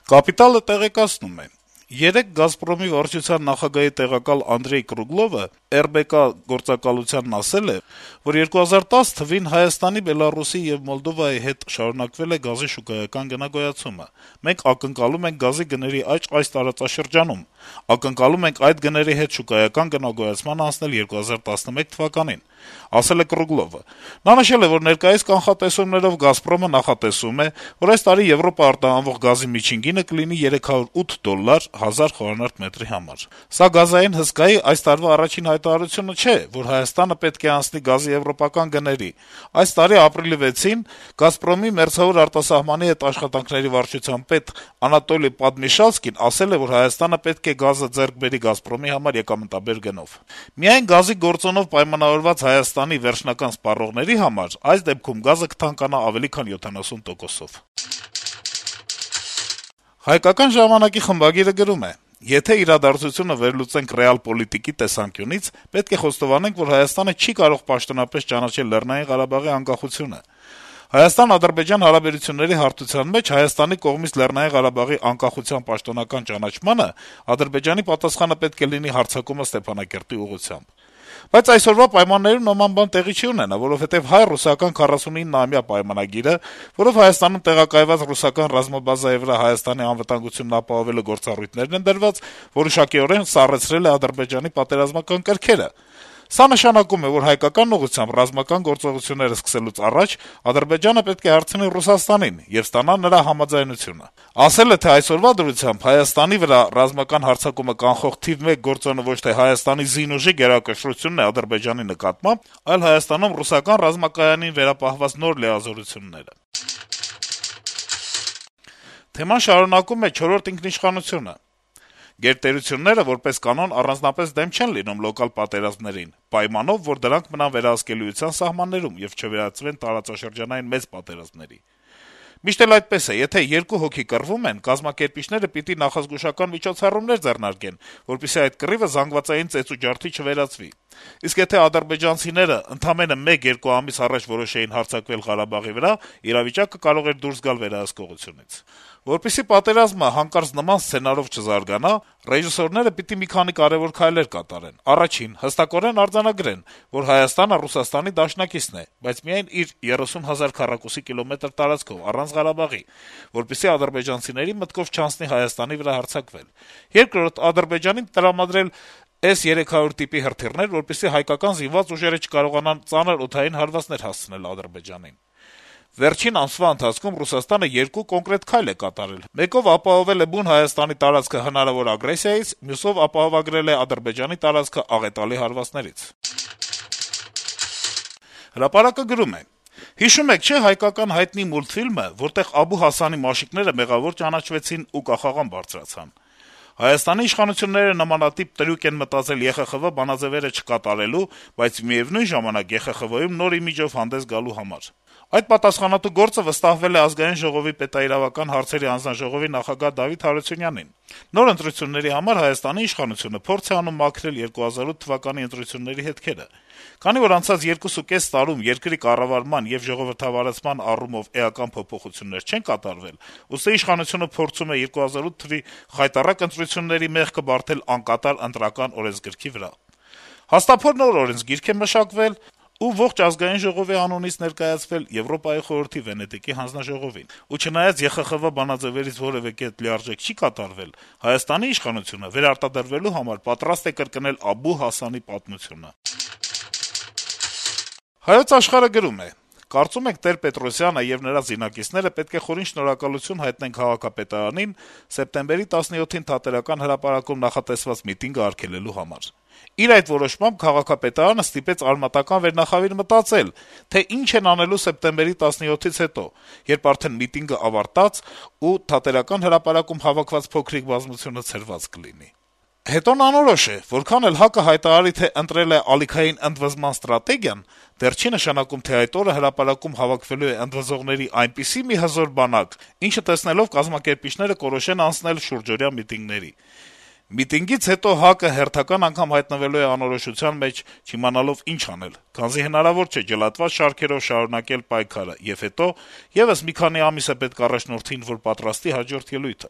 «Կապիտալ»-ը տեղեկացնում է. - «Երեկ «Գազպրոմի» վարչության նախագահի տեղակալ Անդրեյ Կրուգլովը ՌԲԿ գործակալությանն ասել է, որ 2010 թվին Հայաստանի, Բելառուսի եւ Մոլդովայի հետ շարունակվել է գազի շուկայական գնագոյացումը: Մենք ակնկալում ենք գազի գների աճ այս տարածաշրջանում: Ակնկալում ենք այդ գների հետ շուկայական գնագոյացման անցնել 2011 թվականին», - ասել է Կրուգլովը: Նա նշել է, որ ներկայիս կանխատեսումներով «Գազպրոմը» նախատեսում է, որ այս տարի Եվրոպա արտահանվող գազի միջին գինը կլինի $308 1000 խմ համար: Սա գազային հսկայի այս տարվա առաջին հայտարարությունը չէ, որ Հայաստանը պետք է անցնի գազի եվրոպական գների: Այս տարի ապրիլի 6-ին «Գազպրոմի» մերձավոր արտասահմանի հետ աշխատանքների վարչության պետ Անատոլի Պադմիշալսկին ասել է, որ Հայաստանը պետք է գազը ձեռք բերի «Գազպրոմի» համար եկամտաբեր գնով: Միայն գազի գործոնով պայմանավորված Հայաստանի վերջնական սպառողների համար այս դեպքում գազը կթանկանա ավելի քան 70%-ով: «Հայկական ժամանակ»-ի խմբագիրը գրում է. - «Եթե իրադարձությունը վերլուծենք ռեալ-պոլիտիկի տեսանկյունից, պետք է խոստովանենք, որ Հայաստանը չի կարող պաշտոնապես ճանաչել Լեռնային Ղարաբաղի անկախությունը: Հայաստան-Ադրբեջան հարաբերությունների հարթության մեջ Հայաստանի կողմից Լեռնային Ղարաբաղի անկախության պաշտոնական ճանաչմանը Ադրբեջանի պատասխանը պետք է լինի հարձակումը Ստեփանակերտի ուղղությամբ: Բայց այսօրվա պայմաններում նման բան տեղի չի ունենա, որովհետեւ հայ-ռուսական 49-ամյա պայմանագիրը, որով Հայաստանում տեղակայված ռուսական ռազմաբազայի վրա Հայաստանի անվտանգությունն ապահովելու գործառույթներն են դրված, որոշակիորեն սառեցրել է Ադրբեջանի պատերազմական կրքերը: Սա նշանակում է, որ հայկական ուղղությամբ ռազմական գործողություններ սկսելուց առաջ Ադրբեջանը պետք է հարցնի Ռուսաստանին եւ ստանա նրա համաձայնությունը: Ասել է, թե այսօրվա դրությամբ Հայաստանի վրա ռազմական հարձակումը կանխող թիվ մեկ գործոնը ոչ թե Հայաստանի զինուժի գերակշռությունն է Ադրբեջանի նկատմամբ, այլ Հայաստանում ռուսական ռազմակայանին վերապահված նոր լիազորությունները»: Թեման շարունակում է «Չորրորդ ինքնիշխանություն»-ը. - «Գերտերությունները, որպես կանոն, առանձնապես դեմ չեն լինում լոկալ պատերազմներին, պայմանով, որ դրանք մնան վերահսկելիության սահմաններում եւ չվերածվեն տարածաշրջանային մեծ պատերազմների: Միշտ էլ այդպես է. եթե երկու հոգի կռվում են, կազմակերպիչները պիտի նախազգուշական միջոցառումներ ձեռնարկեն, որպեսզի այդ կռիվը զանգվածային ծեծուջարդի չվերածվի: Իսկ եթե ադրբեջանցիները ընդամենը 1-2 ամիս առաջ որոշեին հարձակվել Ղարաբաղի վրա, իրավիճակը կարող էր դուրս գալ վերահսկողությունից: Որպեսզի պատերազմը հանկարծ նման սցենարով չզարգանա, ռեժիսորները պիտի մի քանի կարեւոր քայլեր կատարեն: Առաջին` հստակորեն արձանագրեն, որ Հայաստանը Ռուսաստանի դաշնակիցն է, բայց միայն իր 30 000 քառակուսի կիլոմետր տարածքով, առանց Ղարաբաղի, որպեսզի ադրբեջանցիների մտքով չանցնի Հայաստանի վրա հարձակվել: Երկրորդ` Ադրբեջանին տրամադրել S-300 տիպի հրթիռներ, որպեսզի հայկական զինված ուժերը չկարողանան ծանր օդային հարվածներ հասցնել Ադրբեջանին: Վերջին ամսվա ընթացքում Ռուսաստանը 2 կոնկրետ քայլ է կատարել. մեկով ապահովել է բուն Հայաստանի տարածքը հնարավոր ագրեսիայից, մյուսով ապահովագրել է Ադրբեջանի տարածքը աղետալի հարվածներից»: «Հրապարակ»-ը գրում է. - «Հիշում եք, չէ՞, հայկական հայտնի մուլտֆիլմը, որտեղ Աբու Հասանի մաշիկները մեղավոր ճանաչվեցին ու կախաղան բարձրացան: Հայաստանի իշխանությունները նմանատիպ տրյուկ են մտածել ԵԽԽՎ բանաձեւերը չկատարելու, բայց միեւնույն ժամանակ ԵԽԽՎ-ում նոր իմիջով հանդես գալու համար: Այդ պատասխանատու գործը վստահվել է Ազգային ժողովի պետաիրավական հարցերի հանձնաժողովի նախագահ Դավիթ Հարությունյանին: Նոր ընտրությունների համար Հայաստանի իշխանությունը փորձ է անում մաքրել 2008 թվականի ընտրությունների հետքերը: Քանի որ անցած 2.5 տարում երկրի կառավարման եւ ժողովրդավարացման առումով էական փոփոխություններ չեն կատարվել, ուստի իշխանությունը փորձում է 2008 թվականի խայտառակ ընտրությունների մեղքը բարդել անկատար ընտրական օրենսգրքի վրա: Հաստափոր նոր օրենսգիրք է մշակվել ու ողջ Ազգային ժողովի անունից ներկայացվել Եվրոպայի խորհրդի Վենետիկի հանձնաժողովին: Ու չնայած ԵԽԽՎ բանաձեւերից որեւէ կետ լիարժեք չի կատարվել, Հայաստանի իշխանությունը վերարտադրվելու համար պատրաստ է կրկնել Աբու Հասանի պատմությունը»: «Հայոց Աշխարհ»-ը գրում է. - «Կարծում ենք Տեր-Պետրոսյանը եւ նրա զինակիցները պետք է խորին շնորհակալություն հայտնեն քաղաքապետարանին սեպտեմբերի 17-ին Թատերական հրապարակում նախատեսված միտինգը արգելելու համար: Իր այդ որոշմամբ քաղաքապետարանը ստիպեց արմատական վերնախավիր մտածել, թե ինչ են անելու սեպտեմբերի 17-ից հետո, երբ արդեն միտինգը ավարտած ու Թատերական հրապարակում հավաքված փոքրիկ բազմությունը ցրված կլինի: Հետոն անորոշ է. որքան էլ ՀԱԿ-ը հայտարարի, թե ընտրել է ալիքային ընդվզման ստրատեգիան, դեռ չի նշանակում, թե այդ օրը հրապարակում հավաքվելու է ընդվզողների այնպիսի մի հզոր բանակ, ինչը տեսնելով կազմակերպիչները կորոշեն անցնել շուրջօրյա միտինգների: Միտինգից հետո ՀԱԿ-ը հերթական անգամ հայտնվելու է անորոշության մեջ, չիմանալով ինչ անել, քանզի հնարավոր չէ ջլատված շարքերով շարունակել պայքարը, եւ հետո եւս մի քանի ամիս է պետք առաջնորդին, որ պատրաստի հաջորդ ելույթը»: